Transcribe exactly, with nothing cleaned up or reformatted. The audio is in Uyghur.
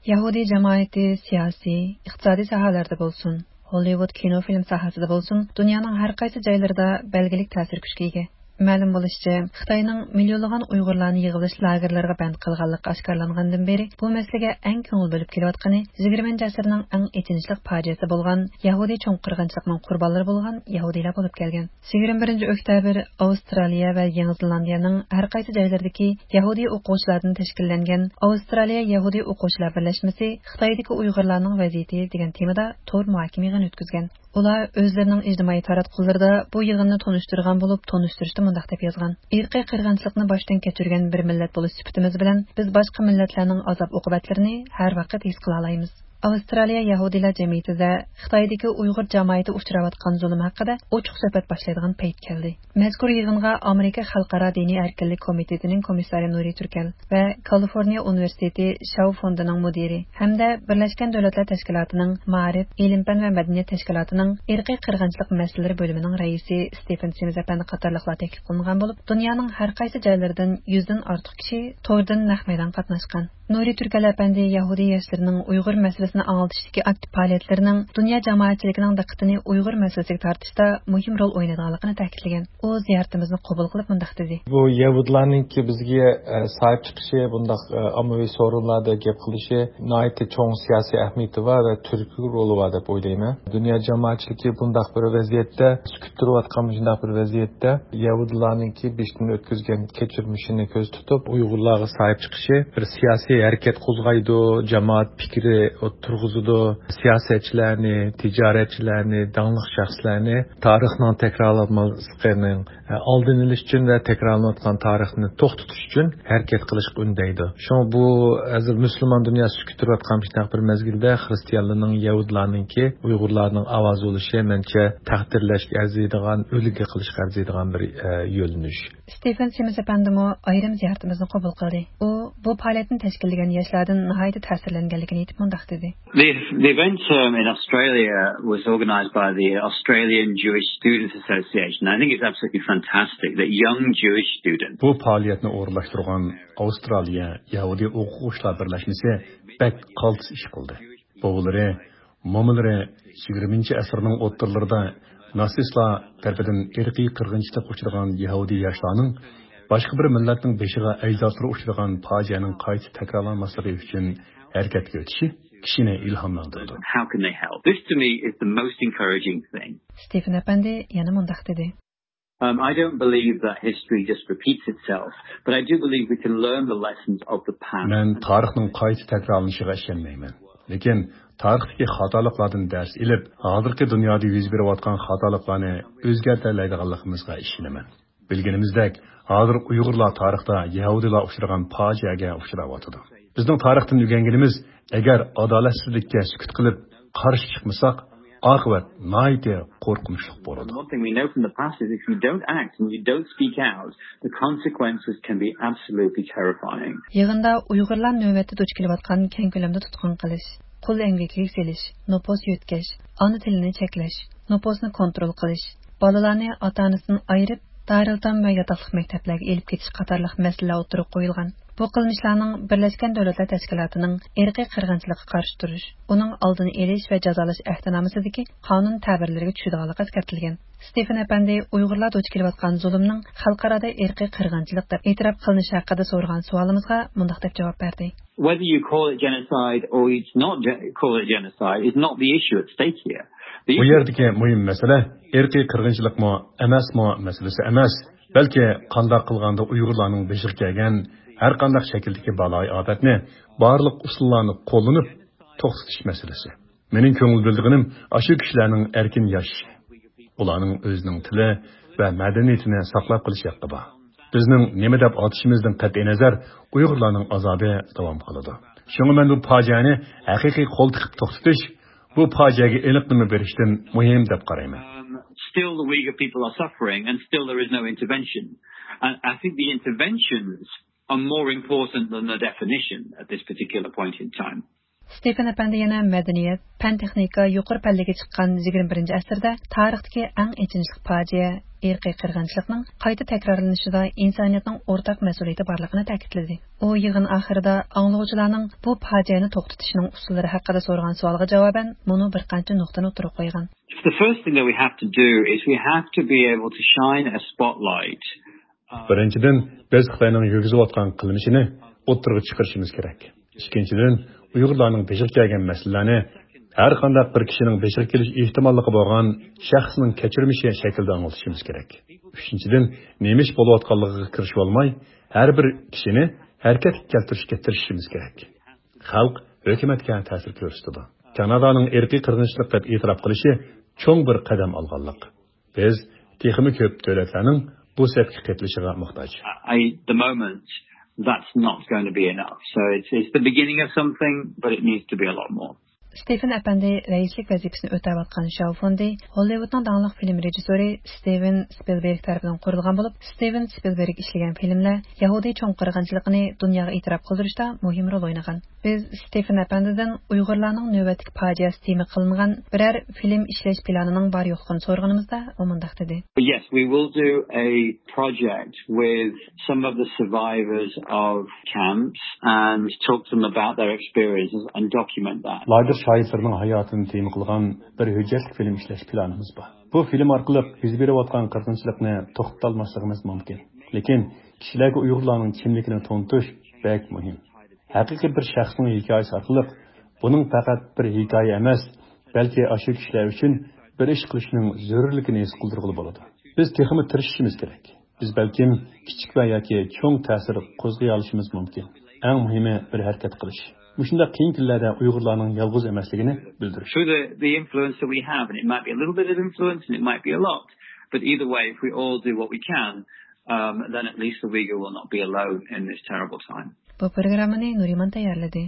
يەھۇدىي جامائىتى سىياسىي، ئىقتىسادىي ساھەلەردە بولسۇن، ھوللىۋۇد كىنو-فىلىم ساھەسىدە بولسۇن، دۇنيانىڭ ھەر قايسى جايلىرىدا بەلگىلىك تەسىر كۈچكە ئىگە. مەلۇم بولۇشىچە، خىتاينىڭ مىليونلىغان ئۇيغۇرلارنى يىغىۋېلىش لاگېرلىرىغا بەند قىلغانلىقى ئاشكارىلانغاندىن بېرى، بۇ مەسىلىگە ئەڭ كۆڭۈل بۆلۈپ كېلىۋاتقىنى يىگىرمىنچى ئەسىرنىڭ ئەڭ ئېچىنىشلىق پاجىئەسى بولغان يەھۇدىي چوڭ قىرغىنچىلىقنىڭ قۇربانلىرى بولغان يەھۇدىيلار بولۇپ كەلگەن. يىگىرمە بىرىنچى ئۆكتەبىر ئاۋسترالىيە ۋە يېڭى زېلاندىيەنىڭ ھەر قايسى جايلىرىدىكى يەھۇدىي ئوقۇغۇچىلاردىن تەشكىللەنگەن ئاۋسترالىيە يەھۇدىي ئوقۇغۇچىلار بىرلەشمىسى خىتايدىكى ئۇيغۇرلارنىڭ ۋەزىيىتى دېگەن تېمىدا تور مۇھاكىمە يىغىنى ئۆتكۈزگەن. ئۇلار ئۆزلىرىنىڭ ئىجتىمائىي تاراتقۇلىرىدا بۇ يىغىننى تونۇشتۇرغان بولۇپ، تونۇشتۇرۇشتا مۇنداق دەپ يازغان: ئىرقىي قىرغىنچىلىقنى باشتىن كەچۈرگەن بىر مىللەت بولۇش سۈپىتىمىز بىلەن، بىز باشقا مىللەتلەرنىڭ ئازاب-ئوقۇبەتلىرىنى ھەر ۋاقىت ھېس قىلالايمىز. ئاۋسترالىيە يەھۇدىيلار جەمئىيىتىدە خىتايدىكى ئۇيغۇر جامائىتى ئۇچراۋاتقان زۇلۇم ھەققىدە ئوچۇق سۆھبەت باشلايدىغان پەيت كەلدى. مەزكۇر يىغىنغا ئامېرىكا خەلقئارا دىنىي ئەركىنلىك كومىتېتىنىڭ كومىسسارى نۇرى تۈركەل ۋە كالىفورنىيە ئۇنىۋېرسىتېتى شاۋ فوندىنىڭ مۇدىرى ھەمدە بىرلەشكەن دۆلەتلەر تەشكىلاتىنىڭ مائارىپ، ئىلىم-پەن ۋە مەدەنىيەت تەشكىلاتىنىڭ ئىرقىي قىرغىنچىلىق مەسىلىلىرى بۆلۈمىنىڭ رەئىسى ستېفېن سىمىز ئەپەندى قاتارلىقلار تەكلىپ قىلىنغان بولۇپ، دۇنيانىڭ ھەر قايسى جايلىرىدىن يۈزدىن ئارتۇق كىشى توردىن نەق مەيدانغا قاتناشقان. نۇرى تۈركەل ئەپەندى يەھۇدىي ياشلىرىنىڭ ئۇيغۇر مەسىلىسىنى ئاڭلىتىشتىكى ئاكتىپ پائالىيەتلىرىنىڭ دۇنيا جامائەتچىلىكىنىڭ دىققىتىنى ئۇيغۇر مەسىلىسىگە تارتىشتا مۇھىم رول ئوينايدىغانلىقىنى تەكىتلىگەن. ئۇ زىيارىتىمىزنى قوبۇل قىلىپ مۇنداق دېدى. بۇ يەھۇدىيلارنىڭكى بىزگە، ئە، ساھىب چىقىشى، بۇنداق، ئە، ئاممىۋى سورۇنلاردا گەپ قىلىشى ناھايىتى چوڭ سىياسىي ئەھمىيىتى بار ۋە تۈرتكىلىك رولى بار دەپ ئويلايمەن. دۇنيا جامائەتچىلىكى بۇنداق بىر ۋەزىيەتتە، سۈكۈت تۇرۇۋاتقان مۇشۇنداق بىر ۋەزىيەتتە يەھۇدىيلارنىڭكى بېشىدىن ئۆتكۈزگەن كەچۈرمىشىنى كۆزدە تۇتۇپ، ئۇيغۇرلارغا ساھىب چىقىشى بىر سىياسىي ھەرىكەت قوزغايدۇ، جامائەت پىكرى تۇرغۇزىدۇ، سىياسەتچىلەرنى، تىجارەتچىلەرنى، داڭلىق شەخسلەرنى تارىخنىڭ تەكرارلانماسلىقىنىڭ ئالدىنى ئېلىش ئۈچۈن ۋە تەكرارلىنىۋاتقان تارىخنى توختىتىش ئۈچۈن ھەرىكەت قىلىشقا ئۈندەيدۇ. شۇڭا بۇ ھازىر مۇسۇلمان دۇنياسى سۈكۈت تۇرۇۋاتقان مۇشۇنداق بىر مەزگىلدە خىرىستىيانلارنىڭ، يەھۇدىيلارنىڭكى ئۇيغۇرلارنىڭ ئاۋازى بولۇشى، مەنچە، تەقدىرلەشكە ئەرزىيدىغان، ئۈلگە قىلىشقا ئەرزىيدىغان بىر، ئە، يۆنىلىش. ستېفېن سىمىز ئەپەندىمۇ ئايرىم زىيارىتىمىزنى قوبۇل قىلدى. ئۇ بۇ پائالىيەتنى تەشكىللىگەن ياشلاردىن ناھايىتى تەسىرلەنگەنلىكىنى ئېيتىپ مۇنداق دېدى. The, the event, um, in Australia was organised by the Australian Jewish Students Association. I think it's absolutely fantastic that young Jewish students بۇ پائالىيەتنى ئورۇنلاشتۇرغان ئاۋسترالىيە يەھۇدىي ئوقۇغۇچىلار بىرلەشمىسى بەك قالتىس ئىش قىلدى. بوۋىلىرى، مومىلىرى يىگىرمىنچى ئەسىرنىڭ ئوتتۇرىلىرىدا ناتسىستلار تەرىپىدىن ئىرقىي قىرغىنچىلىققا ئۇچرىغان يەھۇدىي ياشلارنىڭ باشقا بىر مىللەتنىڭ بېشىغا ئەجدادلىرى ئۇچرىغان پاجىئەنىڭ قايتا تەكرارلانماسلىقى ئۈچۈن ھەرىكەتكە ئۆتۈشى كىشىنى ئىلھاملاندۇرىدۇ. How can they help? This to me is the most encouraging thing. ستېفېن ئەپەندى يەنە مۇنداق دېدى. Um, I don't believe that history just repeats itself, but I do believe we can learn the lessons of the past. مەن تارىخنىڭ قايتا تەكرارلىنىشىغا ئىشەنمەيمەن. لېكىن تارىختىكى خاتالىقلاردىن دەرس ئېلىپ، ھازىرقى دۇنيادا يۈز بېرىۋاتقان خاتالىقلارنى ئۆزگەرتەلەيدىغانلىقىمىزغا ئىشىنىمەن. بىلگىنىمىزدەك، ھازىر ئۇيغۇرلار تارىختا يەھۇدىيلار ئۇچرىغان پاجىئەگە ئۇچراۋاتىدۇ. بىزنىڭ تارىختىن ئۆگەنگىنىمىز، ئەگەر ئادالەتسىزلىككە سۈكۈت قىلىپ، قارشى چىقمىساق، ئاقىۋەت ناھايىتى قورقۇنچلۇق بولىدۇ. One thing we know from the past is if you don't act and you don't speak out, the consequences can be absolutely terrifying. يىغىندا ئۇيغۇرلار نۆۋەتتە دۇچ كېلىۋاتقان كەڭ كۆلەمدە تۇتقۇن قىلىش، قۇل ئەمگىكىگە سېلىش، نوپۇس يۆتكەش، ئانا تىلىنى چەكلەش، نوپۇسنى كونترول قىلىش، بالىلارنى ئاتا-ئانىسىدىن ئايرىپ، دارىلئېتام ۋە ياتاقلىق مەكتەپلەرگە ئېلىپ كېتىش قاتارلىق مەسىلىلەر ئوتتۇرىغا قويۇلغان. بۇ قىلمىشلارنىڭ بىرلەشكەن دۆلەتلەر تەشكىلاتىنىڭ ئىرقىي قىرغىنچىلىققا قارشى تۇرۇش، ئۇنىڭ ئالدىنى ئېلىش ۋە جازالاش ئەھدىنامىسىدىكى قانۇن تەبىرلىرىگە چۈشىدىغانلىقى ئەسكەرتىلگەن. ستېفېن ئەپەندى ئۇيغۇرلار دۇچ كېلىۋاتقان زۇلۇمنىڭ خەلقئارادا ئىرقىي قىرغىنچىلىق دەپ ئېتىراپ قىلىنىشى ھەققىدە سورىغان سوئالىمىزغا مۇنداق دەپ جاۋاب بەردى. Whether you call it genocide or you not ge-, call it genocide is not the issue at stake here. The بۇ issue يەردىكى مۇھىم مەسىلە ئىرقىي قىرغىنچىلىقمۇ ئەمەسمۇ مەسىلىسى ئەمەس، بەلكى قانداق قىلغاندا ئۇيغۇرلارنىڭ بېشىغا كەلگەن ھەر قانداق شەكىلدىكى بالايىئاپەتنى بارلىق ئۇسۇللارنى قوللىنىپ توختىتىش مەسىلىسى. مېنىڭ كۆڭۈل بۆلىدىغىنىم ئاشۇ كىشىلەرنىڭ ئەركىن ياشىشى، ئۇلارنىڭ ئۆزىنىڭ تىلى ۋە مەدەنىيىتىنى ساقلاپ قېلىش ھەققى بار. بىزنىڭ نېمە دەپ ئاتىشىمىزدىن قەتئىينەزەر، ئۇيغۇرلارنىڭ ئازابى داۋام قىلىدۇ. شۇڭا مەن بۇ پاجىئەنى ھەقىقىي قول تىقىپ توختىتىش، بۇ پاجىئەگە ئېنىق نېمە بېرىشتىن مۇھىم دەپ قارايمەن. Um, still the Uyghur people are suffering and still there is no intervention. And I think the interventions are more important than the definition at this particular point in time. ستېفېن ئەپەندى يەنە مەدەنىيەت، پەن-تېخنىكا يۇقىرى پەللىگە چىققان يىگىرمە بىرىنچى ئەسىردە تارىختىكى ئەڭ ئېچىنىشلىق پاجىئە، ئىرقىي قىرغىنچىلىقنىڭ قايتا تەكرارلىنىشىدا ئىنسانىيەتنىڭ ئورتاق مەسئۇلىيىتى بارلىقىنى تەكىتلىدى. ئۇ يىغىن ئاخىرىدا ئاڭلىغۇچىلارنىڭ بۇ پاجىئەنى توختىتىشنىڭ ئۇسۇللىرى ھەققىدە سورىغان سوئالغا جاۋابەن مۇنۇ بىر قانچە نۇقتىنى ئوتتۇرىغا قويغان. The first thing that we have to do is we have to be able to shine a spotlight. بىرىنچىدىن، بىز خىتاينىڭ يۈرگۈزۈۋاتقان قىلمىشىنى ئوتتۇرىغا چىقىرىشىمىز كېرەك. ئىككىنچىدىن، ئۇيغۇرلارنىڭ بېشىغا كەلگەن مەسىلىلەرنى ھەر قانداق بىر كىشىنىڭ بېشىغا كېلىش ئېھتىماللىقى بولغان شەخسنىڭ كەچۈرمىشى شەكلىدە ئاڭلىتىشىمىز كېرەك. ئۈچىنچىدىن، نېمە ئىش بولۇۋاتقانلىقىغا كىرىشىۋالماي، ھەر بىر كىشىنى ھەرىكەتكە كەلتۈرۈشكە تىرىشىشىمىز كېرەك. خەلق ھۆكۈمەتكە تەسىر كۆرسىتىدۇ. كانادانىڭ ئىرقىي قىرغىنچىلىق دەپ ئېتىراپ قىلىشى چوڭ بىر قەدەم ئالغانلىق. بىز تېخىمۇ كۆپ دۆلەتلەرنىڭ بۇ سەپكە قېتىلىشىغا موھتاج. At the moment, that's not going to be enough. So it's, it's the beginning of something, but it needs to be a lot more. ستېفېن ئەپەندى رەئىسلىك ۋەزىپىسىنى ئۆتەۋاتقان شاۋ فوندى، ھوللىۋۇدنىڭ داڭلىق فىلىم رېژىسسورى ستىۋېن سپىلبېرگ تەرىپىدىن قۇرۇلغان بولۇپ، ستىۋېن سپىلبېرگ ئىشلىگەن فىلىملەر يەھۇدىي چوڭ قىرغىنچىلىقىنى دۇنياغا ئېتىراپ قىلدۇرۇشتا مۇھىم رول ئوينىغان. بىز ستېفېن ئەپەندىدىن ئۇيغۇرلارنىڭ نۆۋەتتىكى پاجىئەسى تېما قىلىنغان بىرەر فىلىم ئىشلەش پىلانىنىڭ بار يوقلۇقىنى سورىغىنىمىزدا، ئۇ مۇنداق دېدى. Yes, we will do a project with some of the survivors of camps and talk to them about their experiences and document that. لاگېر شاھىتلىرىنىڭ ھاياتىنى تېما قىلغان بىر ھۆججەتلىك فىلىم ئىشلەش پىلانىمىز بار. بۇ فىلىم ئارقىلىق يۈز بېرىۋاتقان قىرغىنچىلىقنى توختىتالماسلىقىمىز مۇمكىن. لېكىن كىشىلەرگە ئۇيغۇرلارنىڭ كىملىكىنى تونۇتۇش بەك مۇھىم. ھەقىقىي بىر شەخسنىڭ ھېكايىسى ئارقىلىق بۇنىڭ پەقەت بىر ھېكايە ئەمەس، بەلكى ئاشۇ كىشىلەر ئۈچۈن بىر ئىش قىلىشنىڭ زۆرۈرلۈكىنى ھېس قىلدۇرغىلى بولىدۇ. بىز تېخىمۇ تىرىشىشىمىز كېرەك. بىز بەلكىم كىچىك ۋە ياكى چوڭ تەسىر قوزغىيالىشىمىز مۇمكىن. ئەڭ مۇھىمى بىر ھەرىكەت قىلىش. مۇشۇنداق قىيىن كۈنلەردە ئۇيغۇرلارنىڭ يالغۇز ئەمەسلىكىنى بىلدۈرۈش. Through the, the influence that we have, and it might be a little bit of influence and it might be a lot, but either way, if we all do what we can, um, then at least the Uyghur will not be alone in this terrible time. بۇ پروگراممىنى نۇرىمان تەييارلىدى.